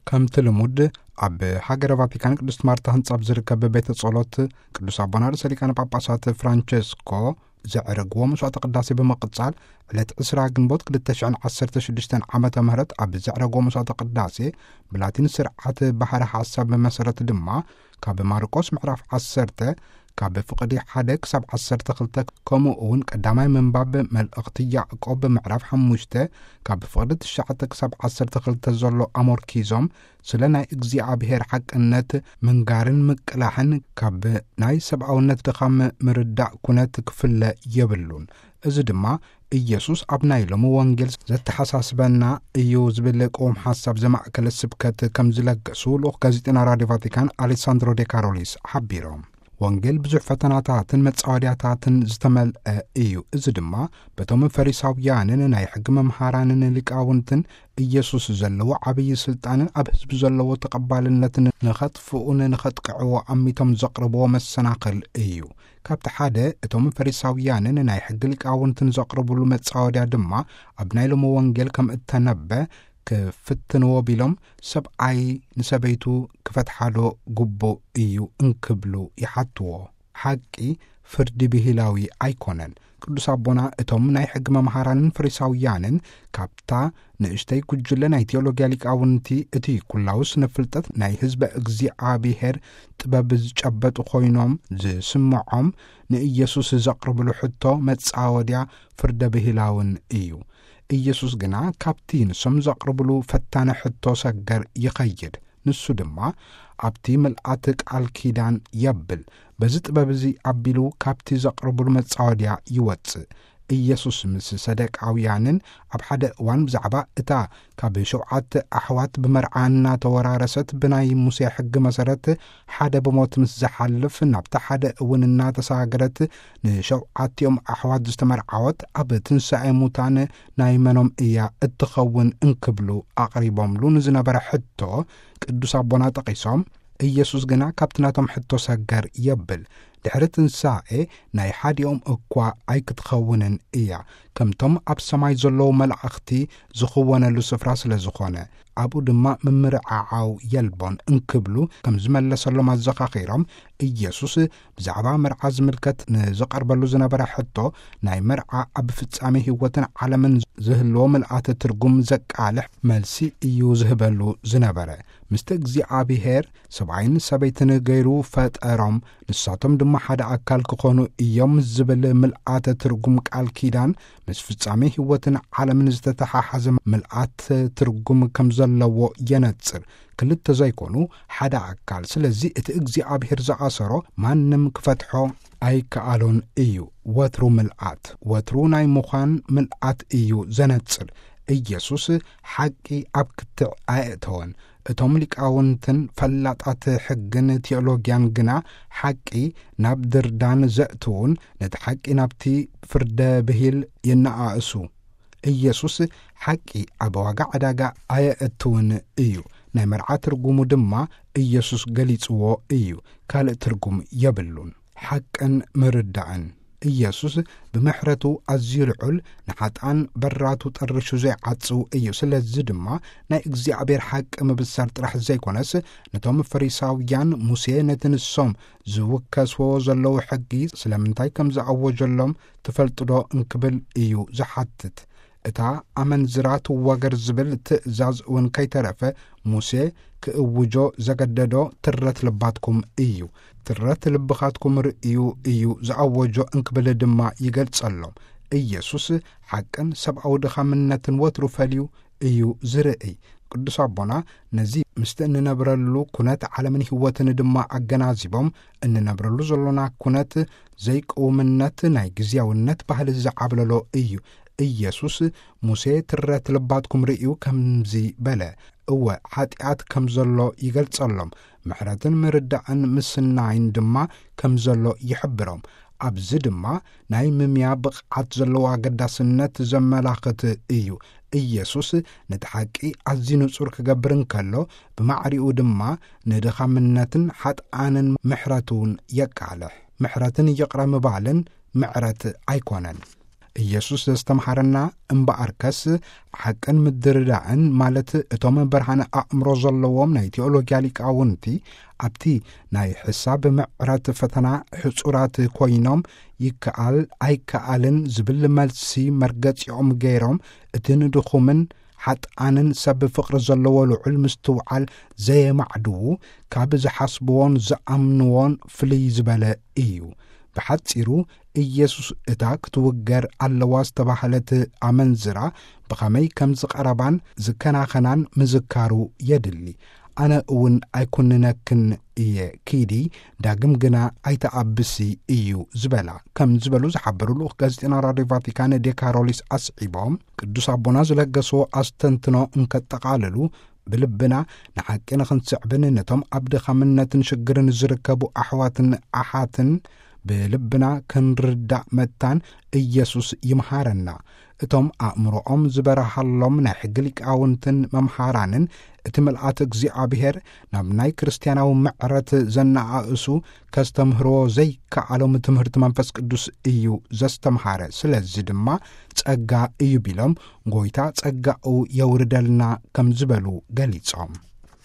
ከምቲ ልሙድ፣ ኣብ ሃገረ ቫቲካን ቅድስት ማርታ ህንጻ ኣብ ዝርከብ ቤተ ጸሎት ቅዱስ ኣቦና ርእሰ ሊቃነ ጳጳሳት ፍራንቸስኮ ዘዕረግዎ መስዋዕተ ቅዳሴ ብምቕጻል፣ ዕለት ዕስራ ግንቦት ክልተ ሽሕን ዓሰርተ ሽዱሽተን ዓመተ ምህረት ኣብ ዘዕረግዎ መስዋዕተ ቅዳሴ፣ ብላቲን ስርዓት ባህረ ሓሳብ መሰረት ድማ፣ ካብ ማርቆስ ምዕራፍ ዓሰርተ ካብ ፍቕዲ ሓደ ክሳብ ዓሰርተ ክልተ፣ ከምኡ እውን ቀዳማይ ምንባብ መልእኽቲ ያዕቆብ ምዕራፍ ሓሙሽተ ካብ ፍቕዲ ትሽዓተ ክሳብ ዓሰርተ ክልተ ዘሎ ኣሞርኪዞም፣ ስለ ናይ እግዚኣብሔር ሓቅነት ምንጋርን ምቅላሕን ካብ ናይ ሰብኣውነት ድኻም ምርዳእ ኩነት ክፍለ የብሉን። እዚ ድማ ኢየሱስ ኣብ ናይ ሎሚ ወንጌል ዘተሓሳስበና እዩ ዝብል ቅውም ሓሳብ ዘማእከለ ስብከት ከም ዝለገሱ ልኡኽ ጋዜጠና ራድዮ ቫቲካን ኣሌሳንድሮ ዴ ካሮሊስ ሓቢሮም። ወንጌል ብዙሕ ፈተናታትን መጻወድያታትን ዝተመልአ እዩ። እዚ ድማ በቶም ፈሪሳውያንን ናይ ሕጊ መምሃራንን ሊቃውንትን ኢየሱስ ዘለዎ ዓብዪ ስልጣንን ኣብ ህዝቢ ዘለዎ ተቐባልነትን ንኸጥፍኡን ንኸጥቅዕዎ ኣሚቶም ዘቕርብዎ መሰናኽል እዩ። ካብቲ ሓደ፣ እቶም ፈሪሳውያንን ናይ ሕጊ ሊቃውንትን ዘቕርብሉ መጻወድያ ድማ፣ ኣብ ናይ ሎሚ ወንጌል ከም እተነበ ክፍትንዎ ቢሎም፣ ሰብኣይ ንሰበይቱ ክፈትሓዶ ግቡእ እዩ እንክብሉ ይሓትዎ። ሓቂ ፍርዲ ብሂላዊ ኣይኮነን። ቅዱስ ኣቦና፣ እቶም ናይ ሕጊ መምሃራንን ፈሪሳውያንን ካብታ ንእሽተይ ጉጅለ ናይ ቴዎሎጊያ ሊቃውንቲ፣ እቲ ኩላዊ ስነ ፍልጠት ናይ ህዝበ እግዚኣብሔር ጥበብ ዝጨበጡ ኮይኖም ዝስምዖም፣ ንኢየሱስ ዘቕርብሉ ሕቶ መጻወድያ ፍርደ ብሂላውን እዩ። ኢየሱስ ግና ካብቲ ንሶም ዘቕርብሉ ፈታኒ ሕቶ ሰገር ይኸይድ። ንሱ ድማ ኣብቲ ምልኣት ቃል ኪዳን የብል። በዚ ጥበብ እዚ ኣቢሉ ካብቲ ዘቕርብሉ መጻወድያ ይወጽእ። ኢየሱስ ምስ ሰደቃውያንን ኣብ ሓደ እዋን ብዛዕባ እታ ካብ ሸውዓተ ኣሕዋት ብመርዓ እናተወራረሰት፣ ብናይ ሙሴ ሕጊ መሰረት ሓደ ብሞት ምስ ዝሓልፍ፣ ናብቲ ሓደ እውን እናተሳገረት ንሸውዓቲኦም ኣሕዋት ዝተመርዓወት፣ ኣብ ትንሳኤ ሙታን ናይ መኖም እያ እትኸውን እንክብሉ ኣቕሪቦምሉ ንዝነበረ ሕቶ ቅዱስ ኣቦና ጠቒሶም፣ ኢየሱስ ግና ካብቲ ናቶም ሕቶ ሰገር የብል። ድሕሪ ትንሳኤ ናይ ሓዲኦም እኳ ኣይክትኸውንን እያ፣ ከምቶም ኣብ ሰማይ ዘለዉ መላእኽቲ ዝኽወነሉ ስፍራ ስለ ዝኾነ፣ ኣብኡ ድማ ምምርዓዓው የልቦን እንክብሉ ከም ዝመለሰሎም ኣዘኻኺሮም፣ ኢየሱስ ብዛዕባ መርዓ ዝምልከት ንዝቐርበሉ ዝነበረ ሕቶ፣ ናይ መርዓ ኣብ ፍጻሜ ህይወትን ዓለምን ዝህልዎ ምልኣተ ትርጉም ዘቃልሕ መልሲ እዩ ዝህበሉ ዝነበረ። ምስቲ እግዚኣብሔር ሰብኣይን ሰበይትን ገይሩ ፈጠሮም፣ ንሳቶም ድማ ሓደ ኣካል ክኾኑ እዮም ዝብል ምልኣተ ትርጉም ቃል ኪዳን፣ ምስ ፍጻሜ ህይወትን ዓለምን ዝተተሓሓዘ ምልኣት ትርጉም ከም ዘለዎ የነጽር። ክልተ ዘይኮኑ ሓደ ኣካል። ስለዚ እቲ እግዚኣብሔር ዝኣሰሮ ማንም ክፈትሖ ኣይከኣሎን እዩ። ወትሩ ምልኣት፣ ወትሩ ናይ ምዃን ምልኣት እዩ ዘነጽር። ኢየሱስ ሓቂ ኣብ ክትዕ ኣየእተወን። እቶም ሊቃውንትን ፈላጣት ሕግን ቴዎሎጊያን ግና ሓቂ ናብ ድርዳን ዘእትዉን፣ ነቲ ሓቂ ናብቲ ፍርደ ብሂል የነኣእሱ። ኢየሱስ ሓቂ ኣብ ዋጋ ዕዳጋ ኣየእትውን እዩ። ናይ መርዓ ትርጉሙ ድማ ኢየሱስ ገሊጽዎ እዩ። ካልእ ትርጉም የብሉን። ሓቅን ምርዳእን። ኢየሱስ ብምሕረቱ ኣዝዩ ልዑል፣ ንሓጥኣን በራቱ ጠርሹ ዘይዓጽው እዩ። ስለዚ ድማ ናይ እግዚኣብሔር ሓቂ ምብሳር ጥራሕ ዘይኮነስ፣ ነቶም ፈሪሳውያን፣ ሙሴ ነቲ ንሶም ዝውከስዎ ዘለዉ ሕጊ ስለምንታይ ከም ዝኣወጀሎም ትፈልጡ ዶ እንክብል እዩ ዝሓትት። እታ ኣመንዝራ ትዋገር ዝብል ትእዛዝ እውን ከይተረፈ ሙሴ ክእውጆ ዘገደዶ ትረት ልባትኩም እዩ። ትረት ልብኻትኩም ርእዩ እዩ ዝኣወጆ እንክብል ድማ ይገልጸሎም። ኢየሱስ ሓቅን ሰብኣዊ ድኻምነትን ወትሩ ፈልዩ እዩ ዝርእይ። ቅዱስ ኣቦና ነዚ ምስቲ እንነብረሉ ኩነት ዓለምን ህይወትን ድማ ኣገናዚቦም፣ እንነብረሉ ዘሎና ኩነት ዘይቅውምነት ናይ ግዝያውነት ባህሊ ዝዓብለሎ እዩ። ኢየሱስ፣ "ሙሴ ትረት ልባትኩም ርእዩ ከምዚ በለ፣ እወ፣ ሓጢኣት ከም ዘሎ ይገልጸሎም፣ ምሕረትን ምርዳእን ምስናይን ድማ ከም ዘሎ ይሕብሮም።" ኣብዚ ድማ ናይ ምምያ ብቕዓት ዘለዎ ኣገዳስነት ዘመላኽት እዩ። ኢየሱስ ነቲ ሓቂ ኣዝዩ ንጹር ክገብር እንከሎ፣ ብማዕሪኡ ድማ ንድኻምነትን ሓጥኣንን ምሕረቱን የቃልሕ። ምሕረትን ይቕረ ምባልን ምዕረት ኣይኮነን። ኢየሱስ ዘስተምሃረና እምበኣርከስ ሓቅን ምድርዳእን፣ ማለት እቶም ብርሃን ኣእምሮ ዘለዎም ናይ ቴዎሎጊያ ሊቃውንቲ ኣብቲ ናይ ሕሳብ ምዕረት ፈተና ሕጹራት ኮይኖም፣ ይከኣል ኣይከኣልን ዝብል መልሲ መርገጺኦም ገይሮም፣ እቲ ንድኹምን ሓጥኣንን ሰብ ፍቕሪ ዘለዎ ልዑል ምስትውዓል ዘየማዕድዉ፣ ካብ ዝሓስብዎን ዝኣምንዎን ፍልይ ዝበለ እዩ። ብሓጺሩ፣ ኢየሱስ እታ ክትውገር ኣለዋ ዝተባህለት ኣመንዝራ ብኸመይ ከም ዝቐረባን ዝከናኸናን ምዝካሩ የድሊ። ኣነ እውን ኣይኩንነክን እየ፣ ኪዲ፣ ዳግም ግና ኣይተኣብሲ እዩ ዝበላ፣ ከም ዝበሉ ዝሓበሩ ልኡኽ ጋዜጠና ራድዮ ቫቲካን ዴካሮሊስ ኣስዒቦም፣ ቅዱስ ኣቦና ዝለገስዎ ኣስተንትኖ እንከጠቓልሉ፣ ብልብና ንሓቂ ንኽንስዕብን ነቶም ኣብ ድኻምነትን ሽግርን ዝርከቡ ኣሕዋትን ኣሓትን ብልብና ክንርዳእ መታን ኢየሱስ ይምሃረና። እቶም ኣእምሮኦም ዝበርሃሎም ናይ ሕጊ ሊቃውንትን መምሃራንን፣ እቲ ምልኣት እግዚኣብሔር ናብ ናይ ክርስትያናዊ ምዕረት ዘነኣእሱ፣ ከስተምህርዎ ዘይከኣሎም ትምህርቲ መንፈስ ቅዱስ እዩ ዘስተምሃረ። ስለዚ ድማ ጸጋ እዩ ቢሎም፣ ጎይታ ጸጋኡ የውርደልና ከም ዝበሉ ገሊጾም።